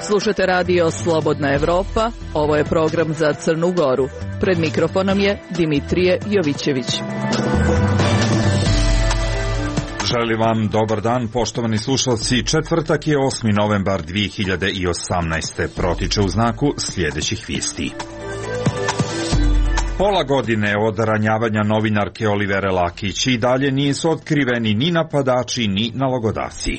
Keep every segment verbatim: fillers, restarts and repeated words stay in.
Slušate radio Slobodna Evropa, ovo je program za Crnu Goru. Pred mikrofonom je Dimitrije Jovićević. Želim vam dobar dan, poštovani slušalci. Četvrtak je osmi novembar dvije hiljade osamnaeste. Protiče u znaku sljedećih vijesti. Pola godine od ranjavanja novinarke Olivere Lakić i dalje nisu otkriveni ni napadači ni nalogodavci.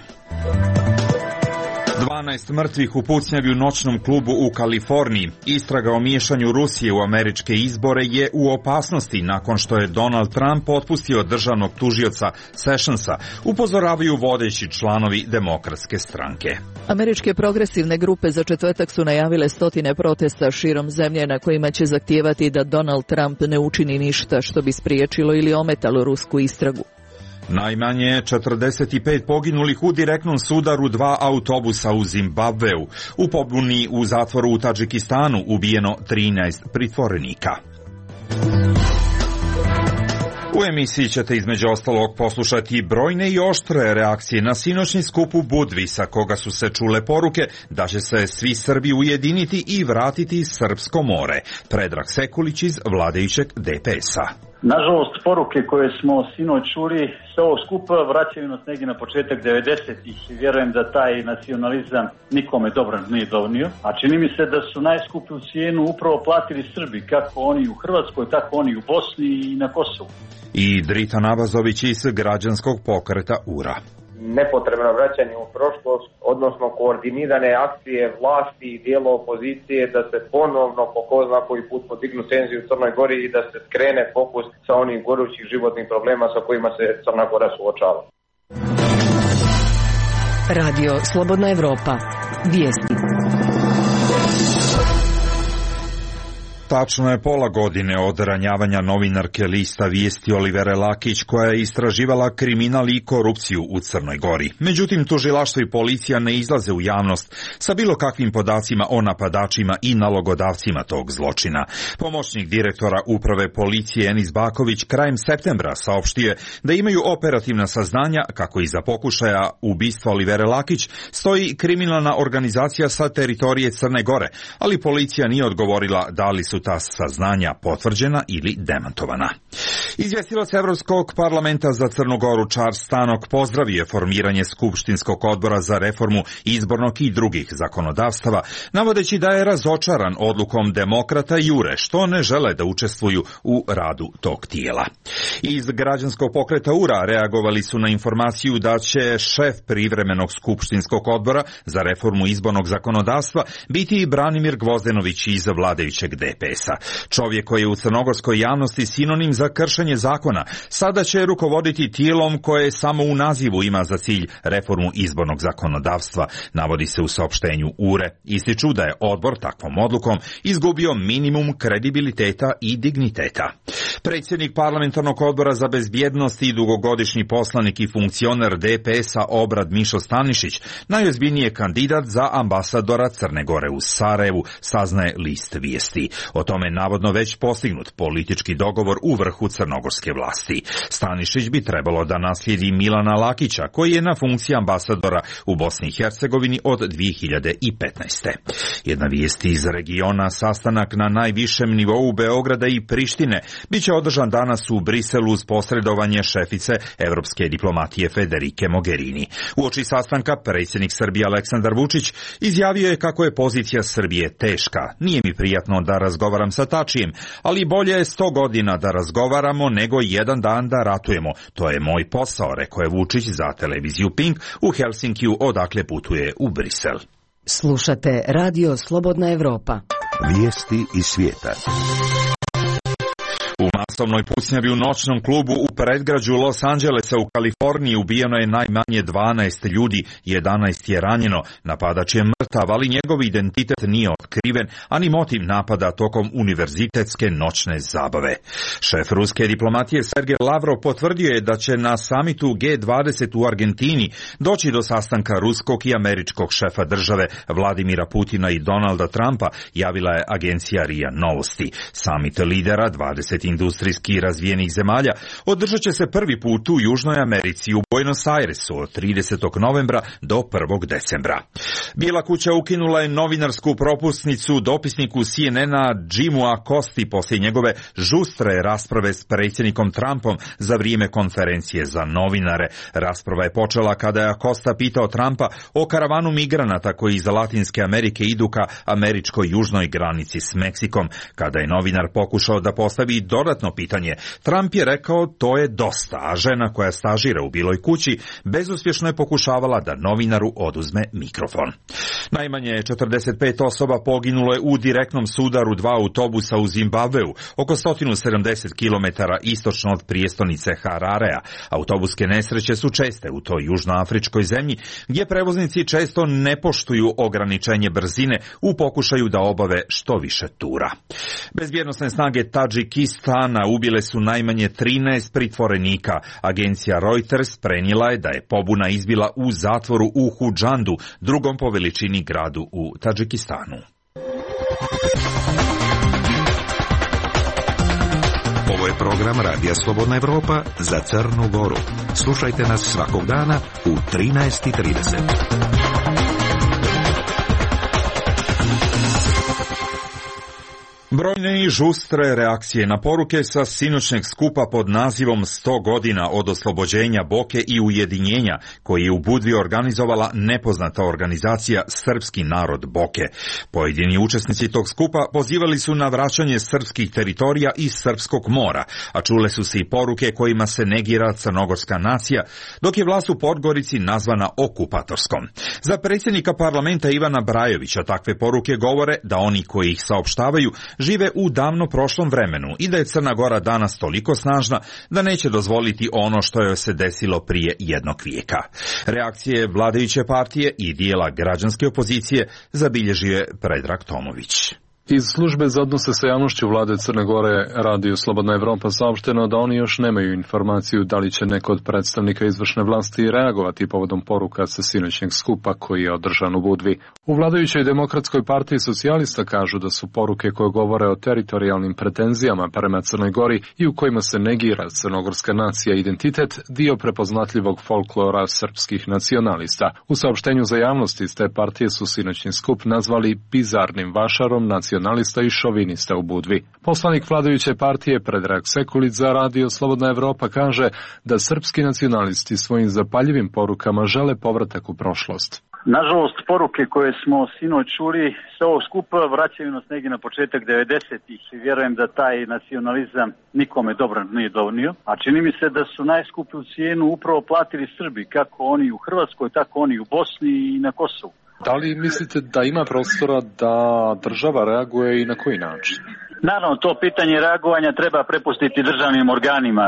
dvanaest mrtvih u pucnjavi u noćnom klubu u Kaliforniji. Istraga o miješanju Rusije u američke izbore je u opasnosti nakon što je Donald Trump otpustio državnog tužioca Sessionsa, upozoravaju vodeći članovi Demokratske stranke. Američke progresivne grupe za četvrtak su najavile stotine protesta širom zemlje na kojima će zahtijevati da Donald Trump ne učini ništa što bi spriječilo ili ometalo rusku istragu. Najmanje četrdeset pet poginulih u direktnom sudaru dva autobusa u Zimbabveu. U pobuni u zatvoru u Tadžikistanu ubijeno trinaest pritvorenika. U emisiji ćete između ostalog poslušati brojne i oštre reakcije na sinoćni skup u Budvi, sa koga su se čule poruke da će se svi Srbi ujediniti i vratiti Srpsko more. Predrag Sekulić iz vladajućeg D P S-a. Nažalost, poruke koje smo sinoć čuli sa ovog skupa vraćaju nas negdje na početak devedesetih i vjerujem da taj nacionalizam nikome dobro nije donio. A čini mi se da su najskuplju cijenu upravo platili Srbi, kako oni u Hrvatskoj, tako oni u Bosni i na Kosovu. I Drita Nabazović iz građanskog pokreta U R A. Nepotrebno vraćanje u prošlost, odnosno koordinirane akcije vlasti i dijela opozicije da se ponovno po ko zna koji put podignu tenziju u Crnoj Gori i da se skrene fokus sa onih gorućih životnih problema sa kojima se Crna Gora suočava. Radio Slobodna Evropa. Vijesti. Tačno je pola godine od ranjavanja novinarke lista Vijesti Olivere Lakić, koja je istraživala kriminal i korupciju u Crnoj Gori. Međutim, tužilaštvo i policija ne izlaze u javnost sa bilo kakvim podacima o napadačima i nalogodavcima tog zločina. Pomoćnik direktora uprave policije Enis Baković krajem septembra saopštio je da imaju operativna saznanja kako iza pokušaja ubistva Olivere Lakić stoji kriminalna organizacija sa teritorije Crne Gore, ali policija nije odgovorila da li su ta saznanja potvrđena ili demantovana. Izvjestilac Evropskog parlamenta za Crnu Goru Charles Tannock pozdravio je formiranje Skupštinskog odbora za reformu izbornog i drugih zakonodavstava, navodeći da je razočaran odlukom demokrata i U R E što ne žele da učestvuju u radu tog tijela. Iz građanskog pokreta U R A reagovali su na informaciju da će šef privremenog Skupštinskog odbora za reformu izbornog zakonodavstva biti Branimir Gvozdenović iz vladajućeg D P S-a. Čovjek koji je u crnogorskoj javnosti sinonim za kršenje zakona, sada će rukovoditi tijelom koje samo u nazivu ima za cilj reformu izbornog zakonodavstva, navodi se u saopštenju U R E. Ističu da je odbor takvom odlukom izgubio minimum kredibiliteta i digniteta. Predsjednik parlamentarnog odbora za bezbjednost i dugogodišnji poslanik i funkcioner D P S-a Obrad Mišo Stanišić, najozbiljniji je kandidat za ambasadora Crne Gore u Sarajevu, saznaje list Vijesti. O tome navodno već postignut politički dogovor u vrhu crnogorske vlasti. Stanišić bi trebalo da naslijedi Milana Lakića, koji je na funkciji ambasadora u Bosni i Hercegovini od dvije hiljade petnaeste. Jedna vijest iz regiona, sastanak na najvišem nivou Beograda i Prištine biće održan danas u Briselu uz posredovanje šefice evropske diplomatije Federike Mogherini. Uoči sastanka predsjednik Srbije Aleksandar Vučić izjavio je kako je pozicija Srbije teška. Nije mi prijatno da razgovaram sa Tačijem, ali bolje je sto godina da razgovaramo nego jedan dan da ratujemo. To je moj posao, rekao je Vučić za televiziju Pink u Helsinkiju, odakle putuje u Brisel. Slušate Radio Slobodna Evropa. Vijesti iz svijeta. U masovnoj pucnjavi u noćnom klubu u predgrađu Los Angelesa u Kaliforniji ubijeno je najmanje dvanaest ljudi, jedanaest je ranjeno. Napadač je mrtav, ali njegov identitet nije otkriven, ani motiv napada tokom univerzitetske noćne zabave. Šef ruske diplomatije Sergej Lavrov potvrdio je da će na samitu G dvadeset u Argentini doći do sastanka ruskog i američkog šefa države Vladimira Putina i Donalda Trumpa, javila je agencija R I A Novosti. Samit lidera dvadeset industrijski razvijenih zemalja održat će se prvi put u Južnoj Americi u Buenos Airesu od tridesetog novembra do prvog decembra. Bijela kuća ukinula je novinarsku propusnicu dopisniku C N N-a Jimu Acosti poslije njegove žustre rasprave s predsjednikom Trumpom za vrijeme konferencije za novinare. Rasprava je počela kada je Acosta pitao Trumpa o karavanu migranata koji iz Latinske Amerike idu ka američkoj južnoj granici s Meksikom. Kada je novinar pokušao da postavi dodatno pitanje, Trump je rekao to je dosta, a žena koja stažira u Bijeloj kući bezuspješno je pokušavala da novinaru oduzme mikrofon. Najmanje četrdeset pet osoba poginulo je u direktnom sudaru dva autobusa u Zimbabveu, oko sto sedamdeset kilometara istočno od prijestolnice Hararea. Autobuske nesreće su česte u toj južnoafričkoj zemlji, gdje prevoznici često ne poštuju ograničenje brzine u pokušaju da obave što više tura. Bezbjednosne snage Tadžikistana ubile su najmanje trinaest pritvorenika. Agencija Reuters prenijela je da je pobuna izbila u zatvoru u Hudžandu, drugom po veličini gradu u Tadžikistanu. Ovo je program Radija Slobodna Evropa za Crnu Goru. Slušajte nas svakog dana u trinaest i trideset. Brojne i žustre reakcije na poruke sa sinoćnjeg skupa pod nazivom sto godina od oslobođenja Boke i ujedinjenja, koji je u Budvi organizovala nepoznata organizacija Srpski narod Boke. Pojedini učesnici tog skupa pozivali su na vraćanje srpskih teritorija iz Srpskog mora, a čule su se i poruke kojima se negira crnogorska nacija, dok je vlast u Podgorici nazvana okupatorskom. Za predsjednika parlamenta Ivana Brajovića takve poruke govore da oni koji ih saopštavaju žive u davno prošlom vremenu i da je Crna Gora danas toliko snažna da neće dozvoliti ono što joj se desilo prije jednog vijeka. Reakcije vladajuće partije i dijela građanske opozicije zabilježio je Predrag Tomović. Iz službe za odnose sa javnošću vlade Crne Gore Radio Slobodna Evropa saopšteno da oni još nemaju informaciju da li će neko od predstavnika izvršne vlasti reagovati povodom poruka sa sinoćnjeg skupa koji je održan u Budvi. U vladajućoj Demokratskoj partiji socijalista kažu da su poruke koje govore o teritorijalnim pretenzijama prema Crnoj Gori i u kojima se negira crnogorska nacija i identitet dio prepoznatljivog folklora srpskih nacionalista. U saopštenju za javnost iz te partije su sinoćnji skup nazvali bizarnim vašarom nacionalista i šovinista u Budvi. Poslanik vladajuće partije Predrag Sekulić za Radio Slobodna Evropa kaže da srpski nacionalisti svojim zapaljivim porukama žele povratak u prošlost. Nažalost, poruke koje smo sinoć čuli sa ovog skupa vraćaju nas negdje na početak devedesetih i vjerujem da taj nacionalizam nikome dobro nije donio, a čini mi se da su najskuplju cijenu upravo platili Srbi, kako oni u Hrvatskoj, tako oni u Bosni i na Kosovu. Da li mislite da ima prostora da država reaguje i na koji način? Naravno, to pitanje reagovanja treba prepustiti državnim organima.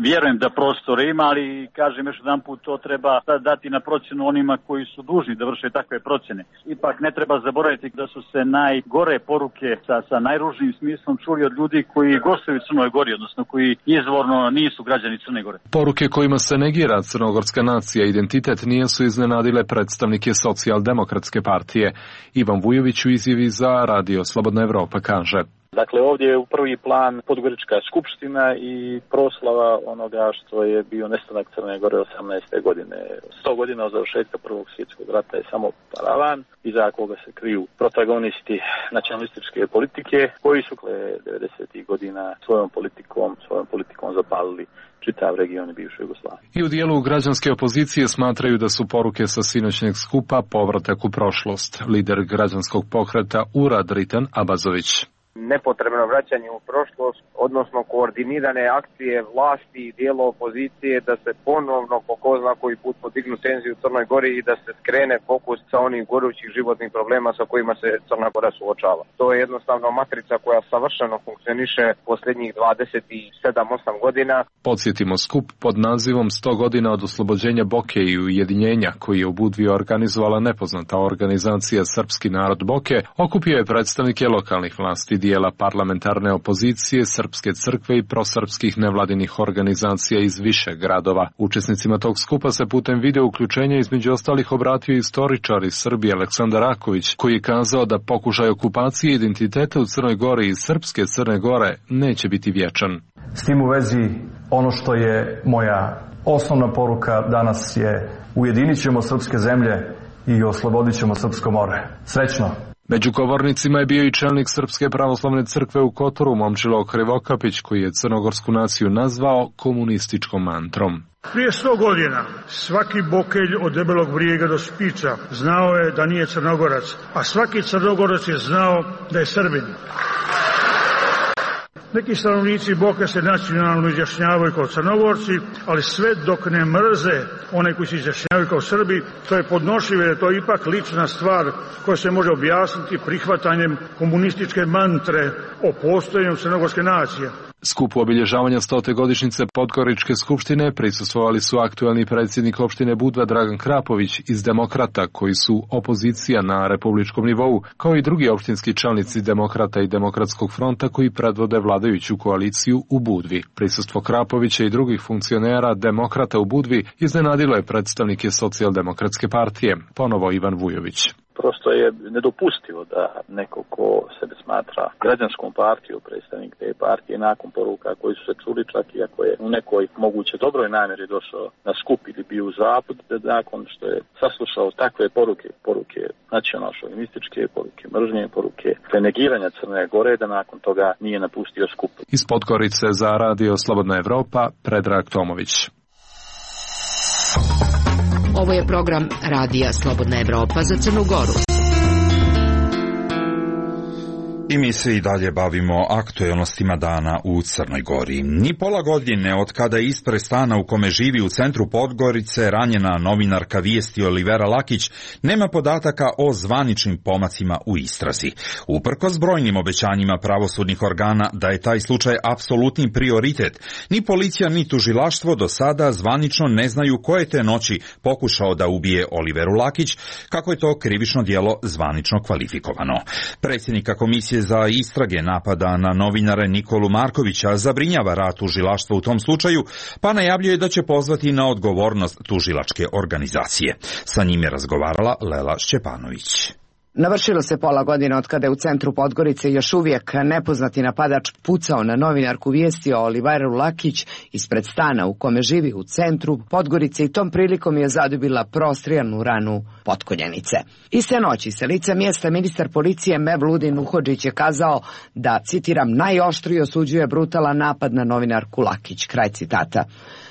Vjerujem da prostor ima, ali kažem još jedan put, to treba dati na procjenu onima koji su dužni da vrše takve procjene. Ipak ne treba zaboraviti da su se najgore poruke sa, sa najružnijim smislom čuli od ljudi koji gostuju u Crnoj Gori, odnosno koji izvorno nisu građani Crne Gore. Poruke kojima se negira crnogorska nacija i identitet nisu iznenadile predstavnike Socijaldemokratske partije. Ivan Vujović u izjavi za Radio Slobodna Evropa kaže: Dakle, ovdje je u prvi plan Podgorička skupština i proslava onoga što je bio nestanak Crne Gore osamnaeste godine. sto godina od završetka Prvog svjetskog rata je samo paravan, iza koga se kriju protagonisti nacionalističke politike, koji su devedesetih godina svojom politikom, svojom politikom zapalili čitav region bivše Jugoslavije. I u dijelu građanske opozicije smatraju da su poruke sa sinoćnjeg skupa povratak u prošlost. Lider građanskog pokreta Urad Ritan Abazović. nepotrebno vraćanje u prošlost, odnosno koordinirane akcije vlasti i dijela opozicije da se ponovno po ko zna koji put podignu tenziju u Crnoj Gori i da se skrene fokus sa onih gorućih životnih problema sa kojima se Crna Gora suočava. To je jednostavno matrica koja savršeno funkcioniše posljednjih dvadeset sedam osam godina. Podsjetimo, skup pod nazivom sto godina od oslobođenja Boke i ujedinjenja, koji je u Budvi organizovala nepoznata organizacija Srpski narod Boke, okupio je predstavnike lokalnih vlasti, dijela parlamentarne opozicije, Srpske crkve i prosrpskih nevladinih organizacija iz više gradova. Učesnicima tog skupa se putem video uključenja između ostalih obratio istoričar iz Srbije Aleksandar Raković, koji je kazao da pokušaj okupacije identiteta u Crnoj Gori i srpske Crne Gore neće biti vječan. S tim u vezi, ono što je moja osnovna poruka danas je: ujedinit ćemo srpske zemlje i oslobodit ćemo srpsko more. Srećno! Među govornicima je bio i čelnik Srpske pravoslavne crkve u Kotoru, Momčilo Krivokapić, koji je crnogorsku naciju nazvao komunističkom mantrom. Prije sto godina svaki bokelj od Debelog brijega do Spiča znao je da nije Crnogorac, a svaki Crnogorac je znao da je Srbin. Neki stanovnici Boke se nacionalno izjašnjavaju kao Crnogorci, ali sve dok ne mrze one koji se izjašnjavaju kao Srbi, to je podnošljivo, jer to je ipak lična stvar koja se može objasniti prihvatanjem komunističke mantre o postojanju crnogorske nacije. Skupu obilježavanja stote godišnjice Podgoričke skupštine prisustvovali su aktuelni predsjednik opštine Budva Dragan Krapović iz Demokrata, koji su opozicija na republičkom nivou, kao i drugi opštinski čelnici Demokrata i Demokratskog fronta koji predvode vladajuću koaliciju u Budvi. Prisustvo Krapovića i drugih funkcionera Demokrata u Budvi iznenadilo je predstavnike Socijaldemokratske partije, ponovo Ivan Vujović. Prosto je nedopustivo da neko ko sebe smatra građanskom partijom, predstavnik te partije, nakon poruka koji su se čuli, čak i ako je u nekoj moguće dobroj namjeri došao na skup ili bio u zapad, da nakon što je saslušao takve poruke, poruke nacionalno-šovinističke, poruke mržnje, poruke negiranja Crne Gore, da nakon toga nije napustio skup. Iz Podgorice za Radio Slobodna Evropa, Predrag Tomović. Ovo je program Radija Slobodna Evropa za Crnu Goru. I mi se i dalje bavimo aktuelnostima dana u Crnoj Gori. Ni pola godine od kada je ispred stana u kome živi u centru Podgorice ranjena novinarka Vijesti Olivera Lakić nema podataka o zvaničnim pomacima u istrazi. Uprkos brojnim obećanjima pravosudnih organa da je taj slučaj apsolutni prioritet, ni policija ni tužilaštvo do sada zvanično ne znaju ko je te noći pokušao da ubije Oliveru Lakić, kako je to krivično djelo zvanično kvalifikovano. Predsjednika komisije za istrage napada na novinare Nikolu Markovića zabrinjava rad tužilaštva u tom slučaju, pa najavljuje da će pozvati na odgovornost tužilačke organizacije. Sa njim je razgovarala Lela Šćepanović. Navršilo se pola godine od kada je u centru Podgorice još uvijek nepoznati napadač pucao na novinarku Vijesti o Oliveru Lakić ispred stana u kome živi u centru Podgorice i tom prilikom je zadobila prostrijanu ranu potkoljenice. Iste noći sa lica mjesta ministar policije Mevludin Uhodžić je kazao da, citiram, najoštrije osuđuje brutalan napad na novinarku Lakić, kraj citata.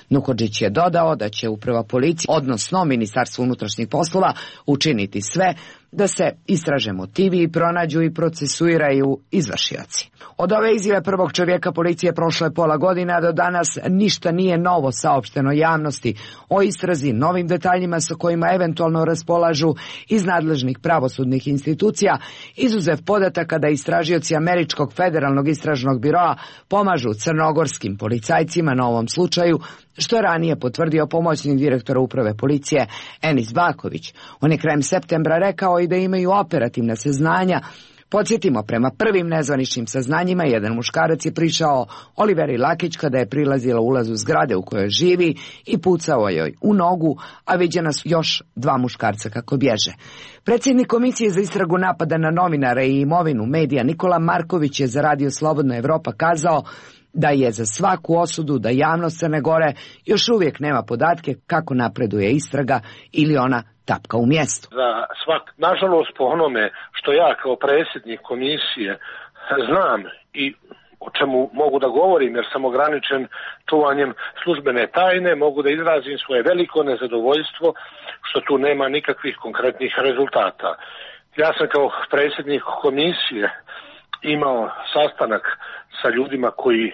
Nuhodžić je dodao da će uprava policije, odnosno Ministarstvo unutrašnjih poslova, učiniti sve da se istraže motivi i pronađu i procesuiraju izvršioci. Od ove izjave prvog čovjeka policije prošlo je pola godine, a do danas ništa nije novo saopšteno javnosti o istrazi, novim detaljima sa kojima eventualno raspolažu iz nadležnih pravosudnih institucija, izuzev podataka da istražioci Američkog federalnog istražnog biroa pomažu crnogorskim policajcima na ovom slučaju, što je ranije potvrdio pomoćnik direktora uprave policije Enis Baković. On je krajem septembra rekao i da imaju operativna saznanja. Podsjetimo, prema prvim nezvaničnim saznanjima, jedan muškarac je prišao Oliveri Lakić kada je prilazila ulazu zgrade u kojoj živi i pucao joj u nogu, a viđena su još dva muškarca kako bježe. Predsjednik Komisije za istragu napada na novinare i imovinu medija Nikola Marković je za Radio Slobodna Evropa kazao da je za svaku osudu da javnost Crne Gore još uvijek nema podatke kako napreduje istraga ili ona tapka u mjestu. Za svak, nažalost, po onome što ja kao predsjednik komisije znam i o čemu mogu da govorim jer sam ograničen čuvanjem službene tajne, mogu da izrazim svoje veliko nezadovoljstvo što tu nema nikakvih konkretnih rezultata. Ja sam kao predsjednik komisije imao sastanak sa ljudima koji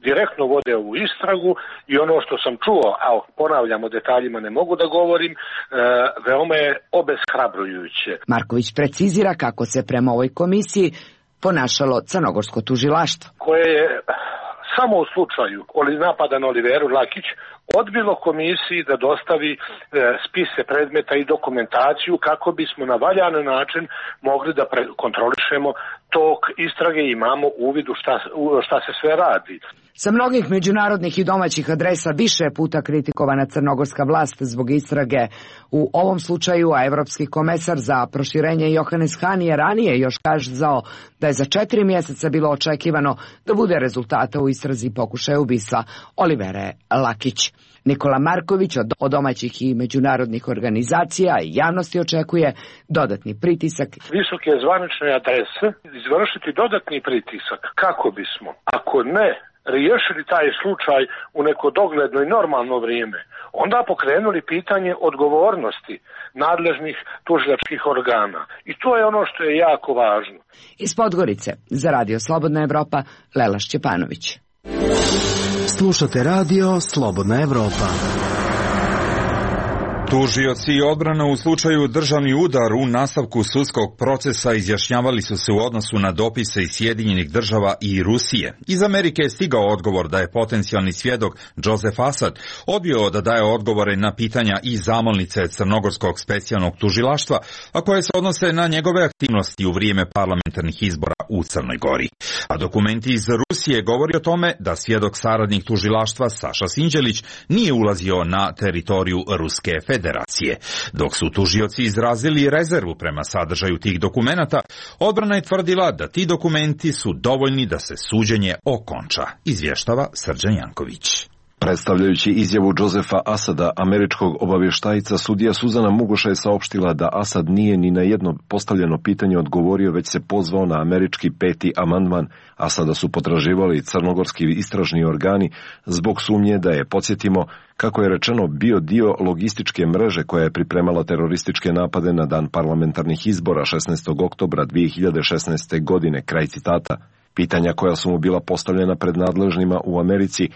direktno vode ovu istragu i ono što sam čuo, a ponavljam, o detaljima ne mogu da govorim, e, veoma je obeshrabrujuće. Marković precizira kako se prema ovoj komisiji ponašalo crnogorsko tužilaštvo, koje je samo u slučaju napada na Oliveru Lakić odbilo komisiji da dostavi e, spise predmeta i dokumentaciju kako bismo na valjan način mogli da pre- kontrolišemo tok istrage i imamo uvid u šta, u šta se sve radi. Sa mnogih međunarodnih i domaćih adresa više je puta kritikovana crnogorska vlast zbog istrage u ovom slučaju, a evropski komesar za proširenje Johannes Hahn je ranije još kazao da je za četiri mjeseca bilo očekivano da bude rezultata u istrazi pokušaja ubistva Olivere Lakić. Nikola Marković od domaćih i međunarodnih organizacija i javnosti očekuje dodatni pritisak visoke zvanične adrese izvršiti dodatni pritisak kako bismo, ako ne riješili taj slučaj u neko dogledno i normalno vrijeme, onda pokrenuli pitanje odgovornosti nadležnih tužilačkih organa. I to je ono što je jako važno. Iz Podgorice za Radio Slobodna Evropa, Lela Šćepanović. Slušate radio Slobodna Evropa. Tužioci i odbrana u slučaju državni udar u nastavku sudskog procesa izjašnjavali su se u odnosu na dopise iz Sjedinjenih država i Rusije. Iz Amerike je stigao odgovor da je potencijalni svjedok Joseph Assad odbio da daje odgovore na pitanja i zamolnice Crnogorskog specijalnog tužilaštva, a koje se odnose na njegove aktivnosti u vrijeme parlamentarnih izbora u Crnoj Gori. A dokumenti iz Rusije govori o tome da svjedok saradnik tužilaštva Saša Sinđelić nije ulazio na teritoriju Ruske federacije. Dok su tužioci izrazili rezervu prema sadržaju tih dokumenata, odbrana je tvrdila da ti dokumenti su dovoljni da se suđenje okonča, izvještava Srđan Janković. Predstavljajući izjavu Josefa Asada, američkog obavještajca, sudija Suzana Mugoša je saopštila da Asad nije ni na jedno postavljeno pitanje odgovorio, već se pozvao na američki peti amandman. Asada su potraživali crnogorski istražni organi zbog sumnje da je, podsjetimo, kako je rečeno, bio dio logističke mreže koja je pripremala terorističke napade na dan parlamentarnih izbora šesnaestog oktobra dvije hiljade šesnaeste. godine, kraj citata. Pitanja koja su mu bila postavljena pred nadležnima u Americi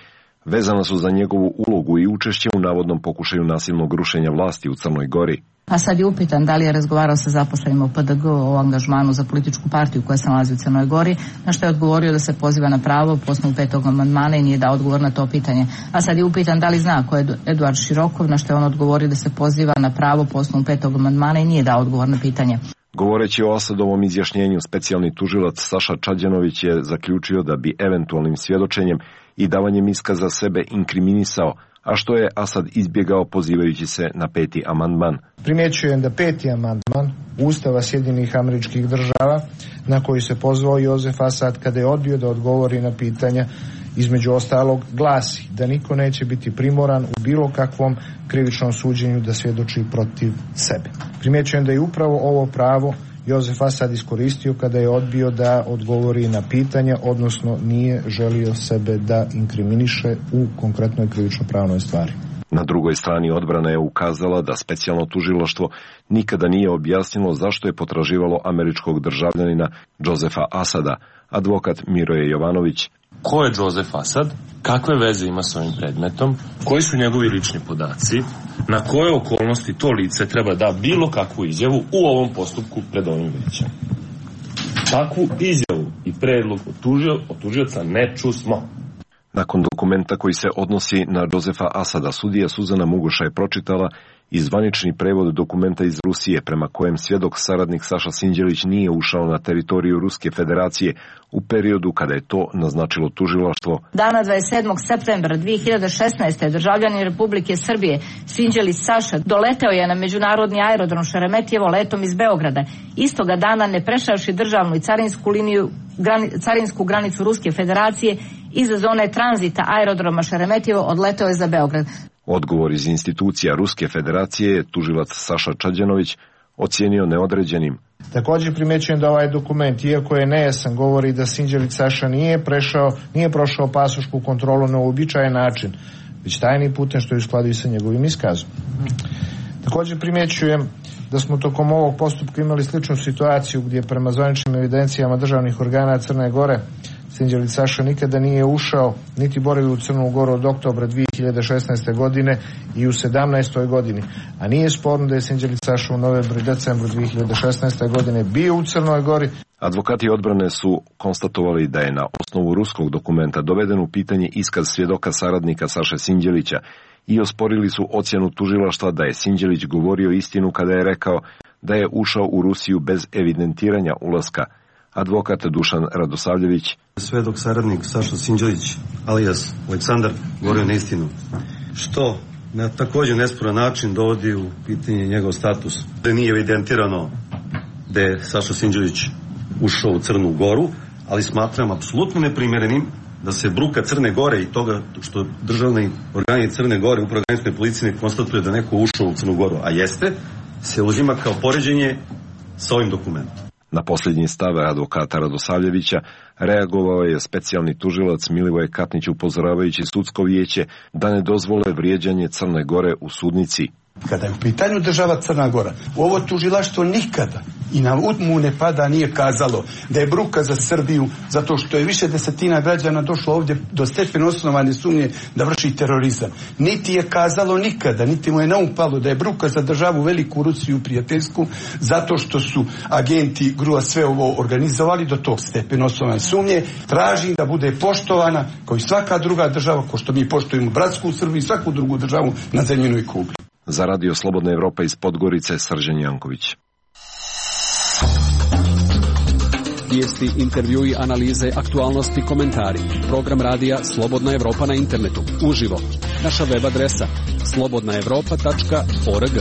vezana su za njegovu ulogu i učešće u navodnom pokušaju nasilnog rušenja vlasti u Crnoj Gori. A sad je upitan da li je razgovarao sa zaposlenima u P D G o angažmanu za političku partiju koja se nalazi u Crnoj Gori, na što je odgovorio da se poziva na pravo po osnovu petog amandmana i nije dao odgovor na to pitanje. A sad je upitan da li zna ko je Eduard Širokov, na što je on odgovorio da se poziva na pravo po osnovu petog amandmana i nije dao odgovor na pitanje. Govoreći o Asadovom izjašnjenju, specijalni tužilac Saša Čađanović je zaključio da bi eventualnim svjedočenjem i davanjem iskaza sebe inkriminisao, a što je Asad izbjegao pozivajući se na peti amandman. Primjećujem da peti amandman Ustava Sjedinjenih Američkih Država, na koji se pozvao Josef Asad kada je odbio da odgovori na pitanja, između ostalog glasi da niko neće biti primoran u bilo kakvom krivičnom suđenju da svjedoči protiv sebe. Primjećujem da je upravo ovo pravo Josef Asad iskoristio kada je odbio da odgovori na pitanja, odnosno nije želio sebe da inkriminiše u konkretnoj krivično-pravnoj stvari. Na drugoj strani odbrana je ukazala da specijalno tužilaštvo nikada nije objasnilo zašto je potraživalo američkog državljanina Josefa Asada. Advokat Miroje Jovanović. Ko je Josef Asad? Kakve veze ima s ovim predmetom? Koji su njegovi lični podaci? Na koje okolnosti to lice treba da bilo kakvu izjavu u ovom postupku pred ovim većem? Takvu izjavu i predlog od tužioca ne čusmo. Nakon dokumenta koji se odnosi na Josefa Asada, sudija Suzana Mugoša je pročitala i zvanični prevod dokumenta iz Rusije prema kojem svjedok saradnik Saša Sinđelić nije ušao na teritoriju Ruske federacije u periodu kada je to naznačilo tužilaštvo. Dana dvadeset sedmog septembra dvije hiljade šesnaeste. državljanin Republike Srbije Sinđelić Saša doleteo je na međunarodni aerodrom Šeremetjevo letom iz Beograda. Istoga dana, ne prešavši državnu i carinsku liniju, grani, carinsku granicu Ruske federacije, iza zone tranzita aerodroma Šeremetjevo odleteo je za Beograd. Odgovor iz institucija Ruske federacije je tužilac Saša Čađanović ocijenio neodređenim. Također primjećujem da ovaj dokument, iako je nejasan, govori da Sinđelić Saša nije prešao, nije prošao pasošku kontrolu na uobičajen način, već tajnim putem, što je u skladu i sa njegovim iskazom. Također primjećujem da smo tokom ovog postupka imali sličnu situaciju gdje prema zvaničnim evidencijama državnih organa Crne Gore Sinđelić Saša nikada nije ušao niti boravio u Crnu Goru od oktobra dvije hiljade šesnaeste. godine i u sedamnaestoj. godini. A nije sporno da je Sinđelić Saša u novembru i decembru dvije hiljade šesnaeste. godine bio u Crnoj Gori. Advokati odbrane su konstatovali da je na osnovu ruskog dokumenta doveden u pitanje iskaz svjedoka saradnika Saše Sinđelića i osporili su ocjenu tužilaštva da je Sinđelić govorio istinu kada je rekao da je ušao u Rusiju bez evidentiranja ulaska. Advokat Dušan Radosavljević. Svedok saradnik Saša Sinđelić, alias Aleksandar, govorio neistinu, što na također nesporan način dovodi u pitanje njegov status. Da nije evidentirano da je Saša Sinđelić ušao u Crnu Goru, ali smatram apsolutno neprimjerenim da se bruka Crne Gore i toga što državni organi Crne Gore, upravo granične policije, ne konstatuje da neko ušao u Crnu Goru, a jeste, se uzima kao poređenje sa ovim dokumentom. Na posljednji stave advokata Radosavljevića reagovao je specijalni tužilac Milivoj Katnić upozoravajući sudsko vijeće da ne dozvole vrijeđanje Crne Gore u sudnici. Kada je u pitanju država Crna Gora, ovo tužilaštvo nikada i na umu ne pada nije kazalo da je bruka za Srbiju zato što je više desetina građana došlo ovdje do stepena osnovane sumnje da vrši terorizam. Niti je kazalo nikada, niti mu je naumpalo da je bruka za državu Veliku Rusiju prijateljsku zato što su agenti Grua sve ovo organizovali do tog stepena osnovane sumnje. Tražim da bude poštovana kao i svaka druga država, kao što mi poštujemo bratsku Srbiju i svaku drugu državu na zemljenoj kugli. Za Radio Slobodna Evropa iz Podgorice, Srđan Janković. Vijesti, intervjui, analize, aktualnosti, komentari. Program radija Slobodna Evropa na internetu. Uživo. Naša web adresa slobodna evropa tačka org.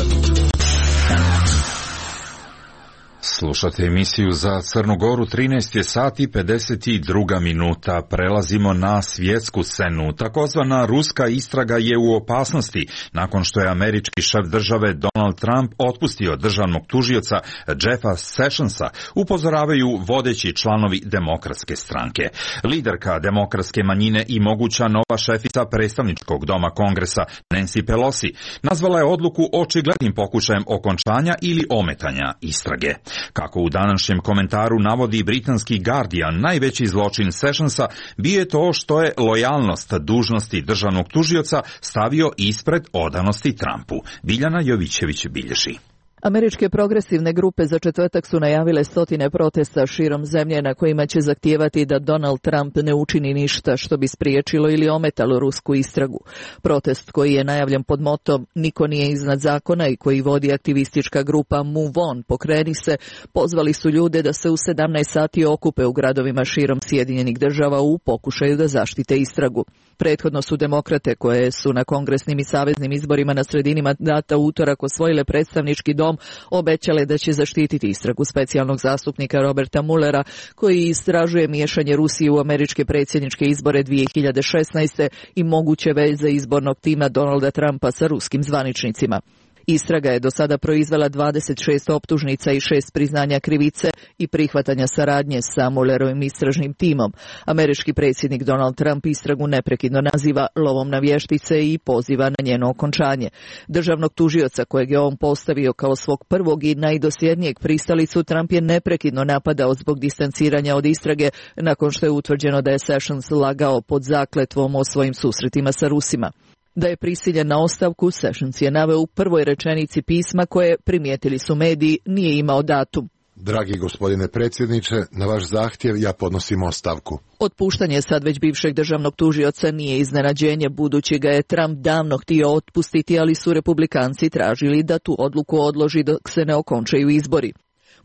Slušate emisiju za Crnu Goru, trinaest je sati i pedeset dva minuta. Prelazimo na svjetsku scenu. Takozvana ruska istraga je u opasnosti nakon što je američki šef države Donald Trump otpustio državnog tužioca Jeffa Sessionsa, upozoravaju vodeći članovi demokratske stranke. Liderka demokratske manjine i moguća nova šefica predstavničkog doma Kongresa Nancy Pelosi nazvala je odluku očiglednim pokušajem okončanja ili ometanja istrage. Kako u današnjem komentaru navodi britanski Guardian, najveći zločin Sessionsa bio je to što je lojalnost dužnosti državnog tužioca stavio ispred odanosti Trumpu. Biljana Jovićević bilježi. Američke progresivne grupe za četvrtak su najavile stotine protesta širom zemlje na kojima će zahtijevati da Donald Trump ne učini ništa što bi spriječilo ili ometalo rusku istragu. Protest koji je najavljen pod motom "Niko nije iznad zakona" i koji vodi aktivistička grupa Move On, pokreni se, pozvali su ljude da se u sedamnaest sati okupe u gradovima širom Sjedinjenih država u pokušaju da zaštite istragu. Prethodno su demokrate, koje su na kongresnim i saveznim izborima na sredini mandata utorak osvojile predstavnički dom, obećale da će zaštititi istragu specijalnog zastupnika Roberta Muellera, koji istražuje miješanje Rusije u američke predsjedničke izbore dvije hiljade šesnaeste. i moguće veze izbornog tima Donalda Trumpa sa ruskim zvaničnicima. Istraga je do sada proizvela dvadeset šest optužnica i šest priznanja krivice i prihvatanja saradnje sa Muellerovim istražnim timom. Američki predsjednik Donald Trump istragu neprekidno naziva lovom na vještice i poziva na njeno okončanje. Državnog tužioca, kojeg je on postavio kao svog prvog i najdosljednijeg pristalicu, Trump je neprekidno napadao zbog distanciranja od istrage nakon što je utvrđeno da je Sessions lagao pod zakletvom o svojim susretima sa Rusima. Da je prisiljen na ostavku, Sessions je naveo u prvoj rečenici pisma koje, primijetili su mediji, nije imao datum. Dragi gospodine predsjedniče, na vaš zahtjev ja podnosim ostavku. Otpuštanje sad već bivšeg državnog tužioca nije iznenađenje, budući ga je Trump davno htio otpustiti, ali su republikanci tražili da tu odluku odloži dok se ne okončaju izbori.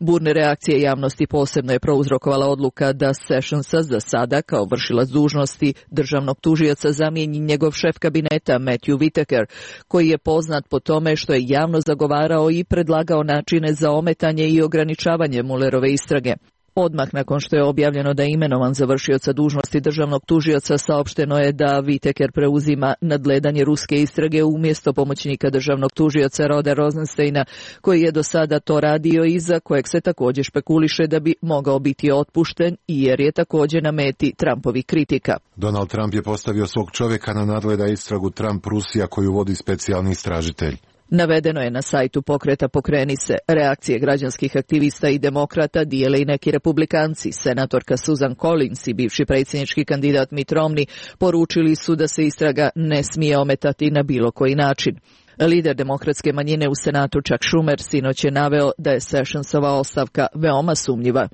Burne reakcije javnosti posebno je prouzrokovala odluka da Sessionsa za sada kao vršilac dužnosti državnog tužioca zamijeni njegov šef kabineta Matthew Whitaker, koji je poznat po tome što je javno zagovarao i predlagao načine za ometanje i ograničavanje Muellerove istrage. Odmah nakon što je objavljeno da je imenovan za vršioca dužnosti državnog tužioca, saopšteno je da Whitaker preuzima nadgledanje ruske istrage umjesto pomoćnika državnog tužioca Roda Rosensteina, koji je do sada to radio i za kojeg se također špekuliše da bi mogao biti otpušten, jer je također na meti Trumpovih kritika. Donald Trump je postavio svog čovjeka na nadgleda istragu Trump Rusija koju vodi specijalni istražitelj. Navedeno je na sajtu pokreta Pokreni se. Reakcije građanskih aktivista i demokrata dijele i neki republikanci. Senatorka Susan Collins i bivši predsjednički kandidat Mitt Romney poručili su da se istraga ne smije ometati na bilo koji način. Lider demokratske manjine u Senatu Chuck Schumer sinoć je naveo da je Sessionsova ostavka veoma sumnjiva.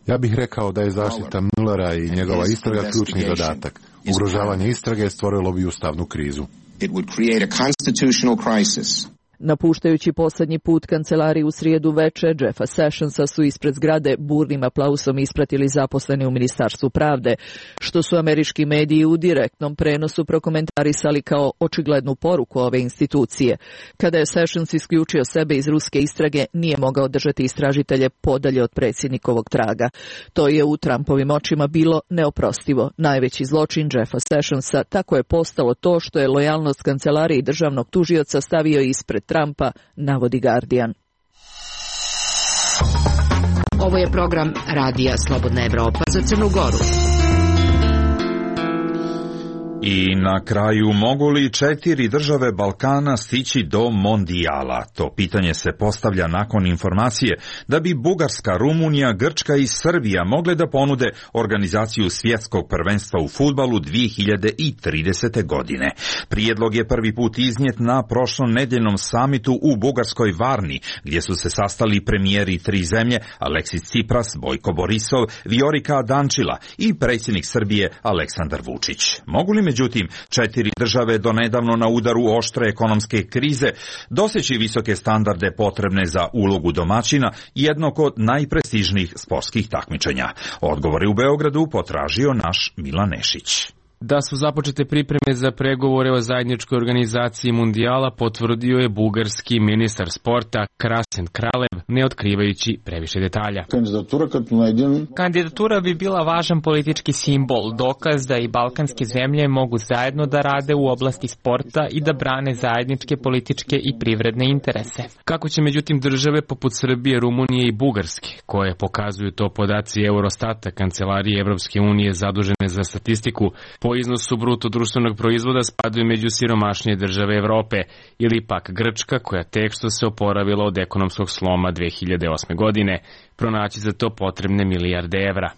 Ja bih rekao da je zaštita Muellera i njegova istraga ključni zadatak. Ugrožavanje istrage stvorilo bi ustavnu krizu. Napuštajući posljednji put kancelariji u srijedu veče, Jeffa Sessionsa su ispred zgrade burnim aplausom ispratili zaposleni u Ministarstvu pravde, što su američki mediji u direktnom prenosu prokomentarisali kao očiglednu poruku ove institucije. Kada je Sessions isključio sebe iz ruske istrage, nije mogao držati istražitelje podalje od predsjednikovog traga. To je u Trumpovim očima bilo neoprostivo. Najveći zločin Jeffa Sessionsa tako je postalo to što je lojalnost kancelariji državnog tužioca stavio ispred Trumpa, navodi Guardian. Ovo je program Radija Slobodna Evropa za Crnu Goru. I na kraju, mogu li četiri države Balkana stići do mondijala? To pitanje se postavlja nakon informacije da bi Bugarska, Rumunija, Grčka i Srbija mogle da ponude organizaciju svjetskog prvenstva u fudbalu dvije hiljade tridesete. godine. Prijedlog je prvi put iznijet na prošlonedeljnom samitu u bugarskoj Varni, gdje su se sastali premijeri tri zemlje, Aleksis Tsipras, Bojko Borisov, Viorika Dančila i predsjednik Srbije Aleksandar Vučić. Mogu li međutim četiri države donedavno na udaru oštre ekonomske krize doseći visoke standarde potrebne za ulogu domaćina jednog od najprestižnijih sportskih takmičenja? Odgovore u Beogradu potražio naš Milan Nešić. Da su započete pripreme za pregovore o zajedničkoj organizaciji mundijala potvrdio je bugarski ministar sporta Krasen Kralev, ne otkrivajući previše detalja. Kandidatura bi bila važan politički simbol, dokaz da i balkanske zemlje mogu zajedno da rade u oblasti sporta i da brane zajedničke političke i privredne interese. Kako će međutim države poput Srbije, Rumunije i Bugarske, koje pokazuju to podaci Eurostata, kancelarije Evropske unije zadužene za statistiku, po iznosu bruto društvenog proizvoda spadaju među siromašnije države Evrope, ili pak Grčka, koja tek što se oporavila od ekonomskog sloma dve hiljade osme. godine, pronaći za to potrebne milijarde evra.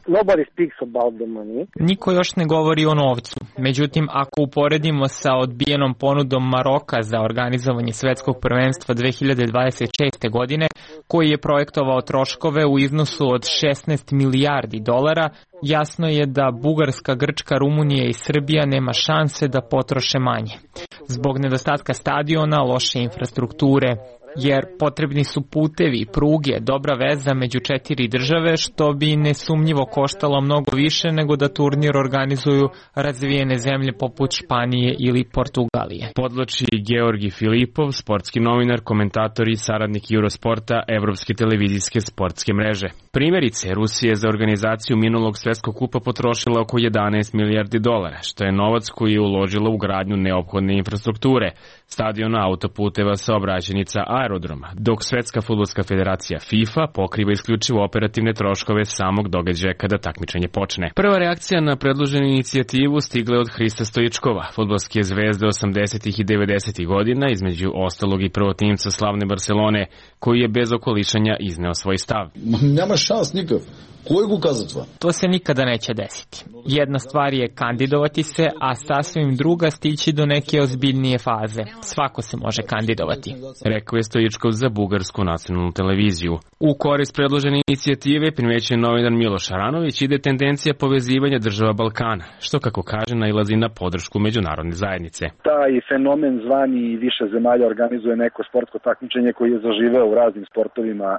Niko još ne govori o novcu. Međutim, ako uporedimo sa odbijenom ponudom Maroka za organizovanje svetskog prvenstva dve hiljade dvadeset šeste. godine, koji je projektovao troškove u iznosu od šesnaest milijardi dolara, jasno je da Bugarska, Grčka, Rumunija i Srbija nema šanse da potroše manje. Zbog nedostatka stadiona, loše infrastrukture, jer potrebni su putevi, pruge, dobra veza među četiri države, što bi nesumnjivo koštalo mnogo više nego da turnir organizuju razvijene zemlje poput Španije ili Portugalije. Podloči Georgi Filipov, sportski novinar, komentator i saradnik Eurosporta, Evropske televizijske sportske mreže. Primjerice, Rusija je za organizaciju minulog svetskog kupa potrošila oko jedanaest milijardi dolara, što je novac koji je uložila u gradnju neophodne infrastrukture, stadiona, autoputeva, saobraćajnica, aerodroma, dok Svetska fudbalska federacija FIFA pokriva isključivo operativne troškove samog događaja kada takmičenje počne. Prva reakcija na predloženu inicijativu stigla je od Hrista Stoičkova, fudbalske zvezde osamdesetih i devedesetih godina, između ostalog i prvotimca slavne Barcelone, koji je bez okolišanja izneo svoj stav. Nema šans nikak. Kojeg ukazatva? To se nikada neće desiti. Jedna stvar je kandidovati se, a sasvim druga stići do neke ozbiljnije faze. Svako se može kandidovati, rekao je Stoičkov za bugarsku nacionalnu televiziju. U korist predložene inicijative primećuje novinar Miloš Aranović ide tendencija povezivanja država Balkana, što kako kaže nailazi na podršku međunarodne zajednice. Taj fenomen zvani više zemalja organizuje neko sportsko takmičenje koji je zaživeo u raznim sportovima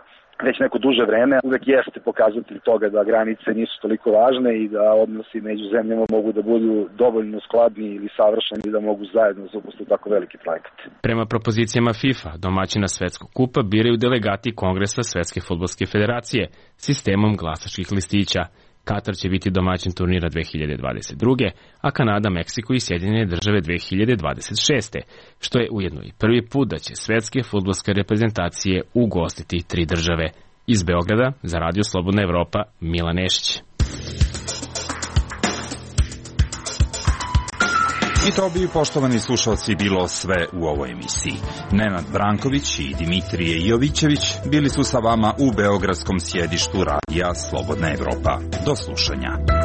već neko duže vreme, uvek jeste pokazatelj toga da granice nisu toliko važne i da odnosi među zemljama mogu da budu dovoljno skladni ili savršeni da mogu zajedno zapustiti tako veliki projekat. Prema propozicijama FIFA, domaćina Svetskog kupa biraju delegati Kongresa Svetske fudbalske federacije sistemom glasačkih listića. Katar će biti domaćin turnira dve hiljade dvadeset druge. a Kanada, Meksiko i Sjedinjene države dve hiljade dvadeset šeste. Što je ujedno i prvi put da će svetske fudbalske reprezentacije ugostiti tri države. Iz Beograda za Radio Slobodna Evropa, Milan Nešić. I to bi, poštovani slušalci, bilo sve u ovoj emisiji. Nenad Branković i Dimitrije Jovićević bili su sa vama u beogradskom sjedištu Radija Slobodna Evropa. Do slušanja.